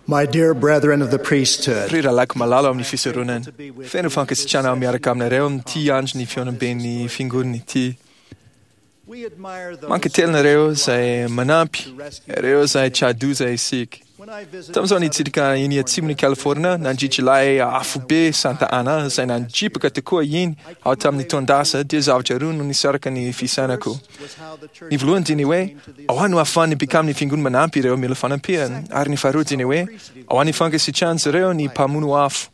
My dear brethren of the priesthood, Ry rahalahiko malala ao amin'ny fisoronana, feno fankasitrahana aho miaraka aminareo amin'ity andron'ny fihaonamben'ny fiangonana ity. we admire those Mankatelina ireo izay manampy, ireo izay tra-doza isika. When I visited Tamin'izao nitsidika iny atsimon'i California, nandritra ilay afobe Santa Ana izay nandripaka tokoa iny aho tamin'ny taon-dasa, dia zavatra roa no nisaraka ny fisainako. was how the church Ny voalohany dia ny hoe, ahoana no ahafahan'ny mpikamin'ny fiangonana manampy ireo mila fanampiana? Ary ny faharoa dia ny hoe, ahoana ny fankasitrahan'izy ireo ny mpamono afo?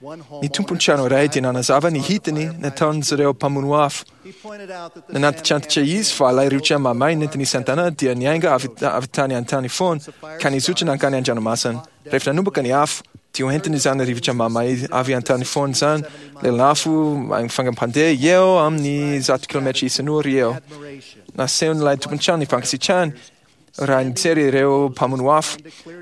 one Ny tompon'ny trano iray dia nanazava ny hitany nataon'izy ireo mpamono afo. He pointed out that the Nanantitrantitra izy fa ilay rivotra mamay nentin'i Santana dia niainga avy avy tany an-tany foana ka nizotra nankany an-dranomasina. Rehefa nanomboka ny afo, dia hoentiny izany rivotra mamay avy an-tany foana izany, lelan'afo fangam-pandeha eo amin'ny 100 kilometra isan'ora eo. admiration Nasehon'ilay tompon-trano ny fankasitrahany raha nijery ireo mpamono afo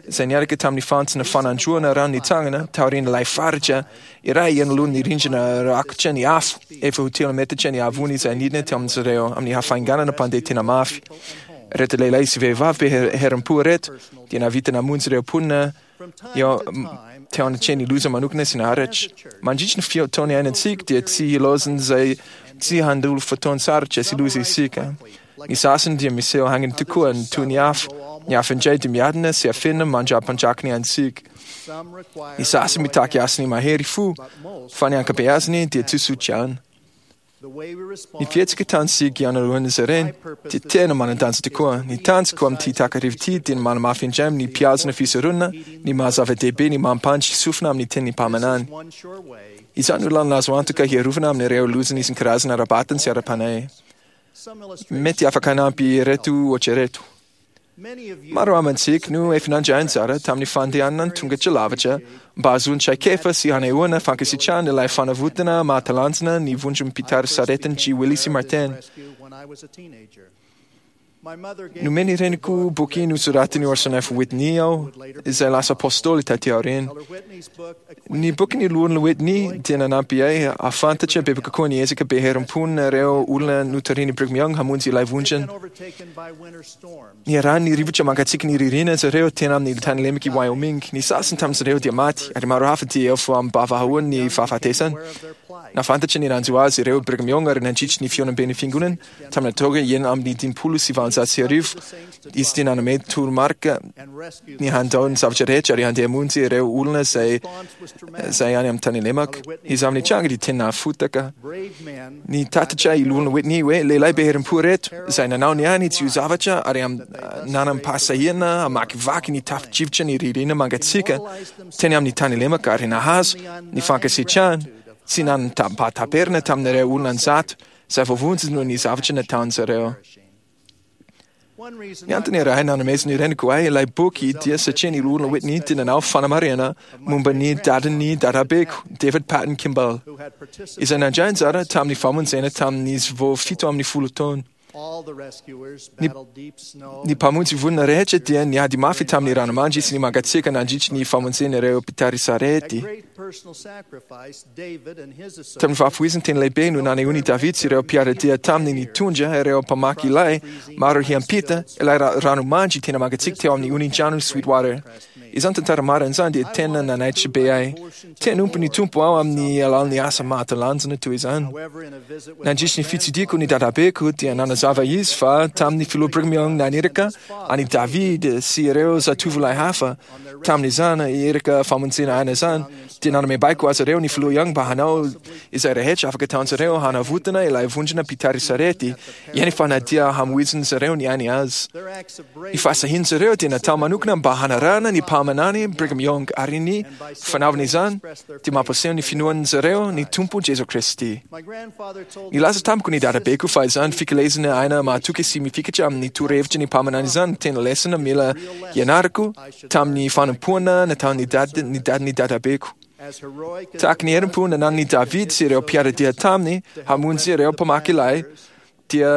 izay niaraka tamin'ny fantsona fanandroana rano nitsangana taorian'ilay faritra iray anoloan'ny rindrina rakotra ny afo efa ho telo metatra ny haavony izay nidina teo amin'izy ireo amin'ny hafainganana mpandeha tena mafy. Ireto lehilahy sy vehivavy be herim-po ireto dia nahavita namonjy ireo mponina from time eo to time teo anatrehan'ny loza manokana sy naharitra. Mandritra ny fotoana iainantsika dia tsy hilaozan'izay tsy handolo fotoan-tsarotra sy loza isika. Ny sasany dia miseho haingana tokoa toy ny afo, ny hafa indray dia miadana sy afenina mandra-panjakany antsika. some require Ny sasany mitaky asiny mahery fo, fa ny ankabeazany dia tsotsotra ihany. the way we respond Ny fihetsika tantsika ianalohan'izy ireny dia tena manan-danja tokoa. Ny tanjoko amin'ity takariva ity dia ny manamafy indray amin'ny mpihazona fisoronana ny maha-zava-dehibe ny mampandry sofina amin'ny tenin'ny mpaminany. one sure way Izany no lalana azo antoka hiarovana amin'ireo lozana isan-karazana ara-batana sy ara-panahy. some illustrations Mety afaka hanampy ireto ohatra ireto. many of you Maro amintsika no efa nandray anjara tamin'ny fandehanana tongotra lavitra mba hahazoana traikefa sy hanehoana fankasitrahana ilay fanavotana mahatalanjona ny vondron'ny mpitari saretin'i G. Willis sy Martin. rescue when I was a teenager. My mother gave Nomeny reniko boky nosoratin'i Orson F. Whitney aho, izay lasa apôstôly taty aoriana. Elder Whitney's book Ny bokin'ny loholona Whitney dia nanampy ahy hahafantatra bebe kokoa ny ezaka be herim-pon'ireo olona notarihin'i Brigham Young hamonjy ilay vondrona. been overtaken by winter storms. Niarahan'ny rivotra mangatsiaka ny ririnina izy ireo tena amin'ny tany lemaka i Wyoming. Ny sasany tamin'izy ireo dia maty, ary maro hafa dia efa am-bavahoan'ny fahafatesana. Aware of their plight. Nahafantatra ny nanjo azy ireo Brigham Young ary nandritry ny fihaonamben'ny fiangonana tamin'ny taona 1856 izy dia nanome toromarika and rescue ny handao ny zavatra rehetra ary handeha hamonjy ireo olona izay response was traumatic. izay any amin'ny tany lemaka. Izy amin'ny tranga dia tena nahafotaka. Brave men Ny tatitra i Loholona Whitney hoe lehilahy be herim-po ireto izay nanao ny ainy tsy ho zavatra ary nanam-pahasahiana hamakivaky ny tafio-drivotra ny ririnina mangatsiaka teny amin'ny tany lemaka ary nahazo ny fankasitrahana tsy nanam-pahataperana tamin'ireo olona an-jato izay voavonjy noho ny zavatra nataon'izy ireo. One reason Ny antony iray nanomezan'ny reniko ahy ilay boky dia satria ny Loholona Whitney dia nanao fanamarihana momba ny dadan'ny dadabeko, David Patton Kimball, who had participated izay nandray anjara tamin'ny famonjena tamin'izy vao 17 taona. all the rescuers battled deep snow Ny mpamonjy vonona rehetra dia niady mafy tamin'ny ranomandry sy ny mangatsiaka nandritry ny famonjena ireo mpitari At sarety. great personal sacrifice, David and his Tamin'ny associates fahafoizany teny lehibe no nanehoan'i David sy ireo mpiara-dia taminy nitondra ireo mpamaky ilay maro hiampita ilay ranomandry tena mangatsiaka teo amin'ny onin-drano Sweetwater. Izany tantara marina izany dia tena nanaitra be ahy. Te hanompo ny Tompo aho amin'ny alalan'ny asa mahatalanjona toy izany. however in a visit with Nandritry ny fitsidihako ny dadabeko dia nanazava izy fa tamin'ny filoha Brigham Young naniraka an'i David sy ireo zatovolahy hafa tamin'izany iraka famonjena aina izany dia nanome baiko azy ireo ny filoha Young mba hanao izay rehetra afaka ataon'izy ireo hanavotana ilay vondrona mpitari sarety eny fa na dia hamoizin'izy ireo ny ainy azy. their acts of Ny bravery fahasahian'izy ireo dia natao manokana mba hanarahana ny mpaminany Brigham Young ary ny fanaovana izany dia mampiseho ny finoan'izy ireo ny Tompo Jesoa Kristy. my grandfather told Nilaza tamiko ny dadabeko fa izany fikelezana aina mahatoky sy mifikitra amin'ny torohevitry ny mpaminany izany no tena lesona mila ianarako tamin'ny fanompoana nataon'ny dad- ny dadin'ny dadabeko. as heroic as Tahaka ny herim-po nananan'i David sy ireo mpiara-dia taminy hamonjy ireo mpamaky ilay dia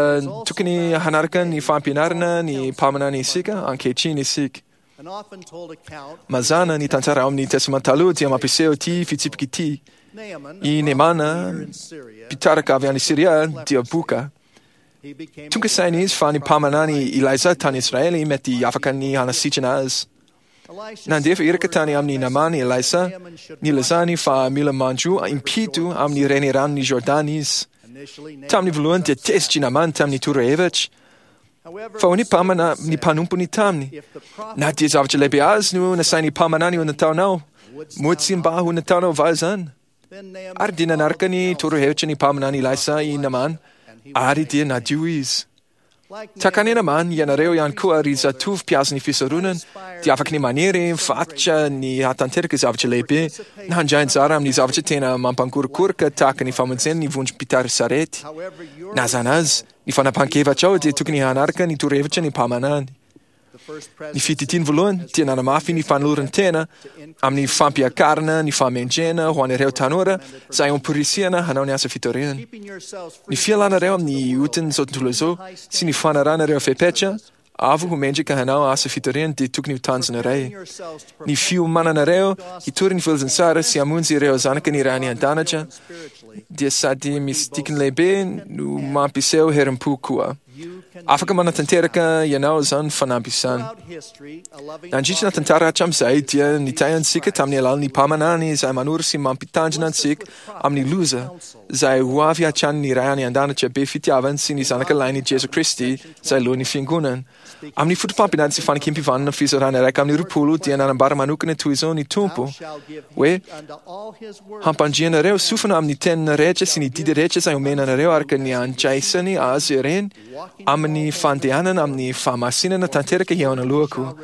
tokony hanaraka ny fampianarana ny mpaminany isika ankehitriny isika. an often told account Mazàna ny tantara ao amin'ny Testamenta Taloha dia mampiseho ity fitsipika ity. Naaman, I a Neemana, leader in Syria, mpitarika avy any Syria, dia boka. he became Tonga saina izy fa ny mpaminany Elisa tany Israely mety afaka ny hanasitrana azy. Nandefa iraka tany amin'i Namàna i Elisa, nilazany fa mila mandro impito amin'ny reniranon'i Jordana izy. Tamin'ny voalohany dia tezitra i Namàna tamin'ny torohevitra. Fa hoy ny mpamana, ny mpanompony taminy, Na dia zavatra lehibe azy no nasain'ny mpaminany ho nataonao, moa tsy mba ho nataonao va izany? Ary dia nanaraka ny torohevitry ny mpaminany Elisa i Namàna, ary dia nadio izy. Tahaka an'i Namàna, ianareo ihany koa, ry zatovo mpihazo ny fisoronana, dia afaka ny maniry mifatotra ny hahatanteraka zavatra lehibe, na handray anjara amin'ny zavatra tena mampangorokoroka tahaka ny famonjena ny vondrom-pitari-sarety. Na izany aza, ny fanapahan-kevitrao dia tokony hanaraka ny torohevitry ny mpaminany. Ny fititiany voalohany dia nanamafy ny fanoloran-tena amin'ny fampiakarana ny fahamendrehana ho an'ireo tanora izay amporisihana hanao ny asa fitoriana. Ny fialanareo amin'ny otin'izao tontolo izao sy ny fanarahana ireo fepetra avo ho mendrika hanao asa fitoriana dia tokony ho tanjona iray. Ny fiomananareo hitory ny filazantsara sy hamonjy ireo zanaka ny Ray any An-danitra dia sady misy dikany lehibe no mampiseho herim-po koa. Afaka manatanteraka ianao izany fanamby izany. Nandritra ny tantara hatramin'izay dia nitahy antsika tamin'ny alalan'ny mpaminany izay manoro sy mampitandrina antsika amin'ny loza izay ho avy hatrany ny Ray any An-danitra be fitiavana sy ny Zanaka Lahiny Jesoa Kristy izay Lohan'ny Fiangonana. Amin'ny fotopampianarana sy fanekem-pivanana fizarana 21 dia nanambara manokana toy izao ny Tompo hoe, Hampandrianareo sofina amin'ny teniny rehetra sy ny didy rehetra izay omena anareo araka ny andraisany azy ireny amin'ny fandehanana amin'ny fahamasinana tanteraka hihaona alohako.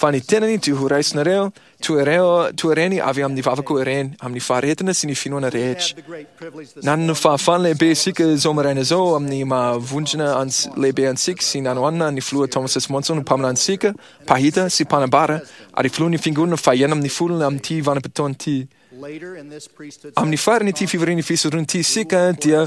Fa ny tenany dia ho raisinareo toy ireo toy ireny avy amin'ny vavako ireny, amin'ny faharetana sy ny finoana rehetra. Nanana fahafahana lehibe isika izao maraina izao amin'ny maha vondrona lehibe antsika sy nanohanana ny Filoha Thomas S. Monson ho mpaminanintsika, mpahita sy mpanambara ary filohan'ny Fiangonana fahenina amin'ny folona amin'ity vanim-potoana ity. Amin'ny faran'ity fivorian'ny fisoronana ity isika dia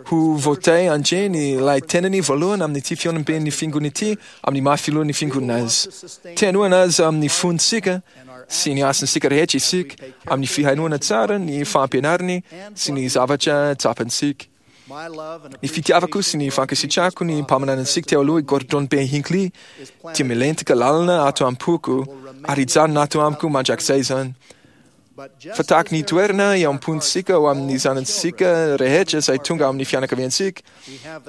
ho voatahy handre ny ilay tenany voalohany amin'ity fihaonamben'ny Fiangonana ity amin'ny maha filohan'ny Fiangonana azy. Te hanohana azy amin'ny fontsika sy ny hasintsika rehetra isika amin'ny fihainoana tsara ny fampianarany sy ny zavatra tsapantsika. Ny fitiavako sy ny fankasitrahako ny mpaminanintsika teo aloha i Gordon B. Hinckley dia milentika lalina ato am-poko ary hijanona ato amiko mandrakizay izany. Fa tahaka ny toerana eo am-pontsika ho amin'ny zanantsika rehetra izay tonga amin'ny fianakaviantsika,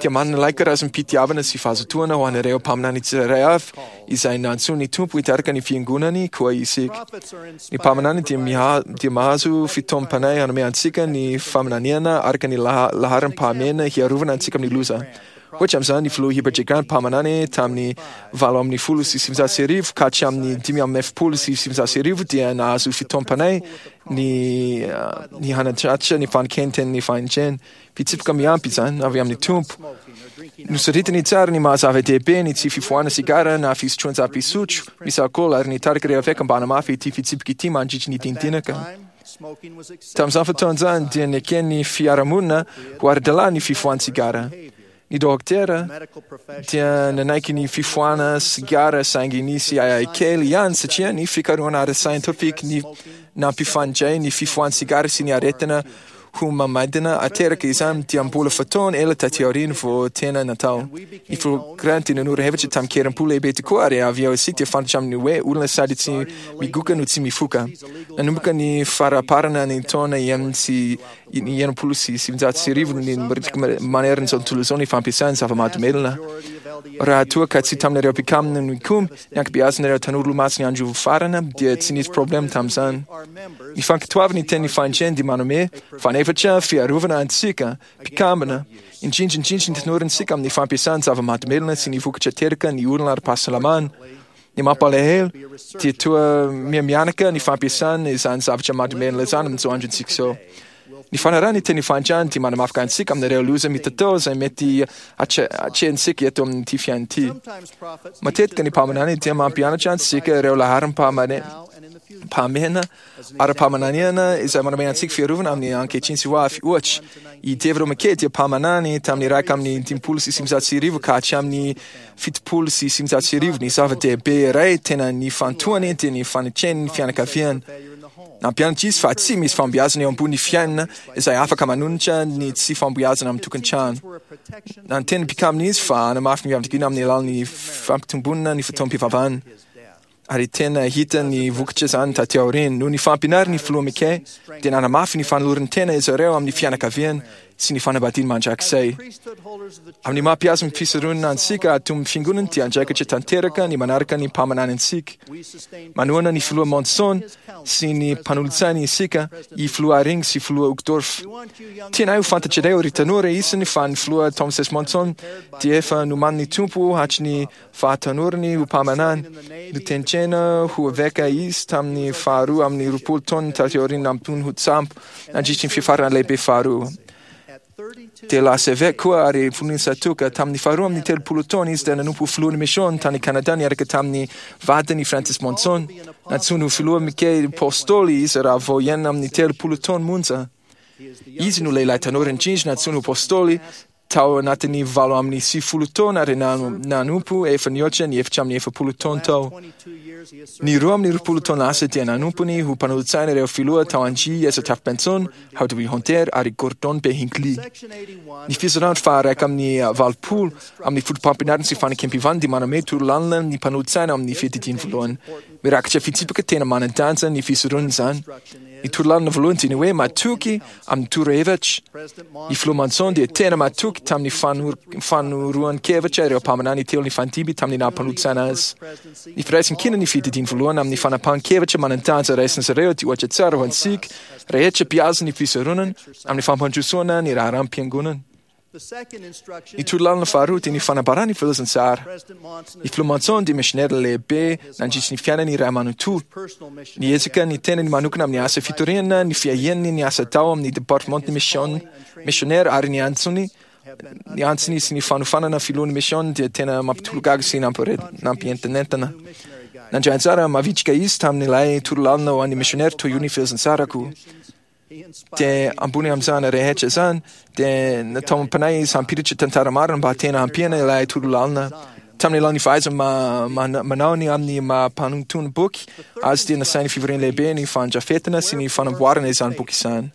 dia manana ilay karazam-pitiavana sy fahazotoana ho an'ireo mpaminany tsirairay avy izay nantsoin'ny Tompo hitarika ny Fiangonany koa isika. Ny mpaminany dia miha, dia mahazo fitaomam-panahy hanome antsika ny faminaniana araka ny laharam-pahamehana hiarovana antsika amin'ny loza. Ohatra amin'izany, ny Filoha Heber J. Grant mpaminany tamin'ny 1918 ka hatramin'ny 1945 dia nahazo fitaomam-panahy ny ny hanatratra ny fanekenten'ny fahendrena. Fitsipika miampy izany avy amin'ny Tompo. Nosoritany tsara ny maha zava-dehibe ny tsy fifohana sigara na fisotroan-java-pisotro misy alkaola ary nitarika ireo eveka mba hanamafy ity fitsipika ity mandritry ny dinidinaka. Tamin'izany fotoana izany dia neken'ny fiarahamonina ho ara-dalàna ny fifohan-tsigara. Ny dokotera dia nanaiky ny fifohana sigara saingy nisy ahiahy kely ihany satria ny fikarohana ara-tsiantifika ny nampifandray ny fifohan-tsigara sy ny aretina homamaidina ateraka izany dia mbola fotoana ela taty aoriana vao tena natao. Ny filoha Grant dia nanoro hevitra tamin-kerim-po lehibe tokoa ary avy eo isika dia fantatra amin'ny hoe olona sady tsy migoka no tsy mifoka. Nanomboka ny faraparana ny taona 1960 ny miritaka manerana izao tontolo izao ny fampiasana zava-mahadomelina. Raha toa ka tsy tamin'ireo mpikambana nikomy ny ankabeazan'ireo tanora olomasin'ny andro farany dia tsy nisy problema tamin'izany. Ny fankatoavana ny tenin'ny fahendrena dia manome fanefitra fiarovana antsika mpikambana, indrindra indrindra ny tanorantsika amin'ny fampiasana zava-mahadomelina sy ny vokatra ateraka ny olana ara-pahasalamana. Ny mampalahelo dia toa miha-mihanaka ny fampiasana izany zavatra mahadomelina izany amin'izao androntsika izao. Ny fanarahana ny teny fahantrana dia manamafy antsika amin'ireo loza mitatao izay mety hatrehintsika eto amin'ity fiainana ity. Matetika ny mpaminany dia mampianatra antsika ireo laharam-pahamehana ara-paminaniana izay manome antsika fiarovana amin'ny ankehitriny sy ho avy. Ohatra, i David O. McKay dia mpaminany tamin'ny 1951 ka hatramin'ny 1970. Ny zava-dehibe iray tena nifantohany dia ny fanetreny ny fianakaviany. Nampianatra izy fa tsy misy fahombiazana eo ambony fiainana izay afaka manonitra ny tsy fahombiazana amin'ny tokantrano. Nanteny mpikamina izy fa hanamafy ny fianakaviana amin'ny alalan'ny fampitomboana ny fotoam-pivavahana. Ary tena hita ny vokatra izany taty aoriana. Noho ny fampianaran'ny Filoha McKay, dia nanamafy ny fanoloran-tena izy ireo amin'ny fianakaviany sy ny fanambadiany mandrakizay. Amin'ny maha mpihazo ny fisoronana antsika ato amin'ny Fiangonana dia andraikitra tanteraka ny manaraka ny mpaminany antsika. Manohana ny Filoha Monson sy ny mpanolotsainy isika, i Filoha Haring sy Filoha Uchtdorf. Tianay ho fantatrareo ry tanora isany fa ny Filoha Thomas S. Monson dia efa nomanin'ny Tompo hatry ny fahatanorany ho mpaminany. Notendrena ho eveka izy tamin'ny faharoa amin'ny 20 taona taty aoriana nampitony ho tsambo nandritry ny fiafarana lehibe faharoa. Dia lasa eveka koa ary filohan'ny Satoka. Tamin'ny faharoa amin'ny 30 taona izy dia nanompo ho filohan'ny mission tany Canada niaraka tamin'ny vadiny Francis Monson. Nantsoiny ho filoha Mickey Apostoly izy raha vao 36 taona monja. Izy no lehilahy tanora indrindra nantsoiny ho Apostoly tao anatin'ny 98 taona ary nanompo efa nihoatra ny 44 taona tao. Ny 22 taona lasa dia nanompony ho mpanolotsaina ireo filoha tao Angie S. Taft Benson, Howard W. Hunter ary Gordon B. Hinckley. Ny fizarana faha-81 amin'ny fotopampianarana sy fanekem-pivavahana dia manome torolalana ny mpanolotsaina amin'ny fiadidiany voalohany. Mirakitra fitsipika tena manan-danja ny fisoronana izany. Ny torolalana voalohany dia ny hoe matoky amin'ny torohevitra. Ny Filoha Monson dia tena matoky tamin'ny fanoroan-kevitra ireo mpaminany telo nifandimby tamin'ny naha mpanolotsaina azy. Ny firaisankina ny fiadidiany voalohany amin'ny fanapahan-kevitra manan-danja raisin'izy ireo dia ohatra tsara ho antsika rehetra mpihazo ny fisoronana amin'ny fampandrosoana ny raharaham-piangonana. Ny torolalana faharoa dia ny fanambarana ny filazantsara. Ny Filoha Monson dia misionera lehibe nandritry ny fiainany iray manontolo. Niezaka ny tenany manokana amin'ny asa fitoriana, ny fiahiany ny asa atao amin'ny departemantan'ny mission misionera ary ny antsony ny antsony sy ny fanofanana filohan'ny mission dia tena mampitolagaga sy nampientanentana. Nandray anjara mavitrika izy tamin'ilay torolalana ho an'ny misionera toy io ny filazantsarako. Dia ambony amin'izany rehetra izany, dia natao am-panahy izy hampiditra tantara marina mba tena hampiana ilay torolalana. Tamin'ny alalan'ny fahaiza manao ny amin'ny maha mpanontony boky azy dia nasain'ny fivoriana lehibe ny fandrafetana sy ny fanamboarana izany boky izany.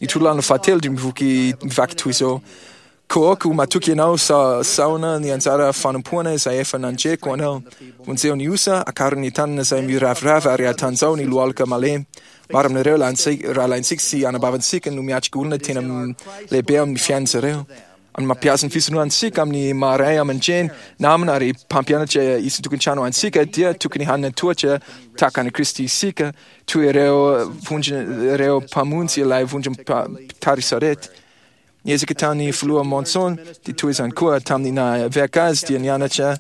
Ny torolalana fahatelo dia mivoky mivaky toy izao, Koa aoka ho matoky ianao sa saona ny anjara fanompoana izay efa nandreko anao. Vonjeo ny osa, akaro ny tanana izay miraviravy ary atanjaho ny lohalika malemy. Maro amin'ireo rahalahintsika sy anabavintsika no miatrika olona tena lehibe amin'ny fiainan'izy ireo. Amin'ny mampiasa ny fisorohantsika amin'ny maha ray aman-dreny, namana ary mpampianatra isan-tokantrano antsika dia tokony hanana toetra tahaka an'i Kristy isika, toy ireo vondrona ireo mpamonjy ilay vondrom-mpitari-sarety. Niezaka tamin'ny Filoha Monson dia toy izany koa tamin'ny naha eveka azy dia nianatra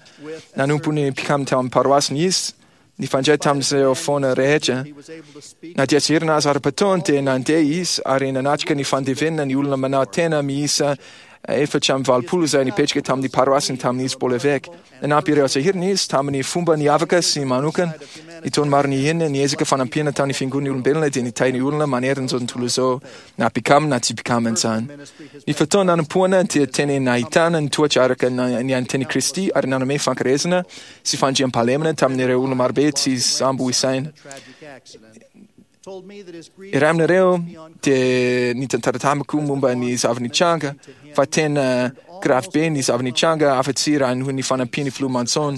nanompo ny mpikambana tao amin'ny paroasiny izy, nifandray tamin'izy ireo foana rehetra. Na dia tsy herina aza ara-potoana dia nandeha izy ary nanatrika ny fandevenana ny olona manao tena miisa 84 izay nipetraka tamin'ny paroasiny tamin'izy mbola eveka. Nanampy ireo sahirana izy tamin'ny fomba niavaka sy manokana. Ny taona maro niainany, niezaka fanampiana tamin'ny fiangonan'ny olombelona dia nitahy ny olona manerana izao tontolo izao, na mpikambana na tsy mpikambana izany. Ny fotoana nanompoana dia tena nahitana ny toetra araka ny an'ny tenin'i Kristy ary nanome fankarezana sy fandriampahalemana tamin'ireo olona marobe tsy sambo isaina. Iray aminareo dia nitantara tamiko momba ny zava-nitranga fa tena grave be ny zava-nitranga afa-tsy raha noho ny fanampian'ny Filoha Monson.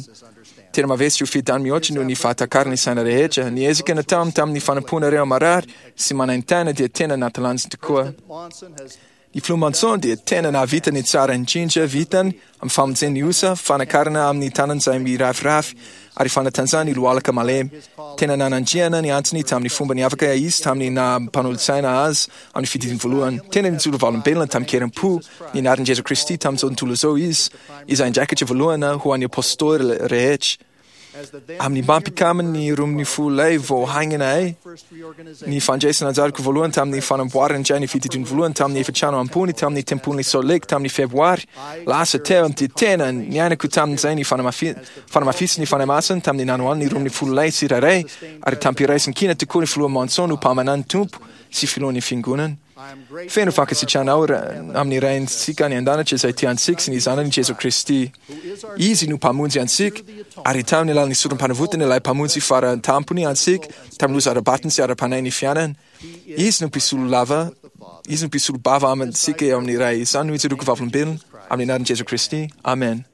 Tena mavesatra io fiadany mihoatra noho ny fahatakaran'ny saina rehetra. Ny ezaka nataony tamin'ny fanompoana ireo marary sy manaintaina dia tena natalanjona tokoa. Ny Filoha Monson dia tena nahavita ny tsara indrindra vitany amin'ny famonjena ny osa, fanakarana amin'ny tanana izay miraviravy, ary fanatanjahana ny lohalika malemy. Tena nanandriana ny antsony tamin'ny fomba niavaka izy tamin'ny naha mpanolotsaina azy amin'ny fididiny voalohany. Tena nijoro vavolombelona tamin-kerim-po ny anaran'i Jesoa Kristy tamin'izao tontolo izao izy, izay andraikitra voalohany ho an'ny Apôstôly rehetra. Amin'ny maha mpikambana ny 12 vao haingana ahy, ny fandraisana anjarako voalohany tamin'ny fanamboarana indray ny fitidiny voalohany tamin'ny efitrano ambony tamin'ny tempolin'i Salt Lake tamin'ny Febroary lasa teo dia tena niainako tamin'izay ny fanamafisin'ny Fanahy Masina tamin'ny nanohanany ny 12 tsirairay ary tamim-piraisan-kina tokoa ny Filoha Monson ho mpaminan'ny Tompo sy Filohan'ny Fiangonana. Feno fankasitrahana aho amin'ny Raintsika any an-danitra izay tia antsika sy ny Zanany Jesoa Kristy. Izy no Mpamonjy antsika, ary tamin'ny alalan'ny sorom-panavotany ilay Mpamonjy fara tampony antsika tamin'ny loza ara-batana sy ara-panahy ny fiainana. Izy no mpisolo lava, Izy no mpisolo bava amintsika eo amin'ny Ray. Izany no ijoroako vavolombelona amin'ny anaran'i Jesoa Kristy. Amen.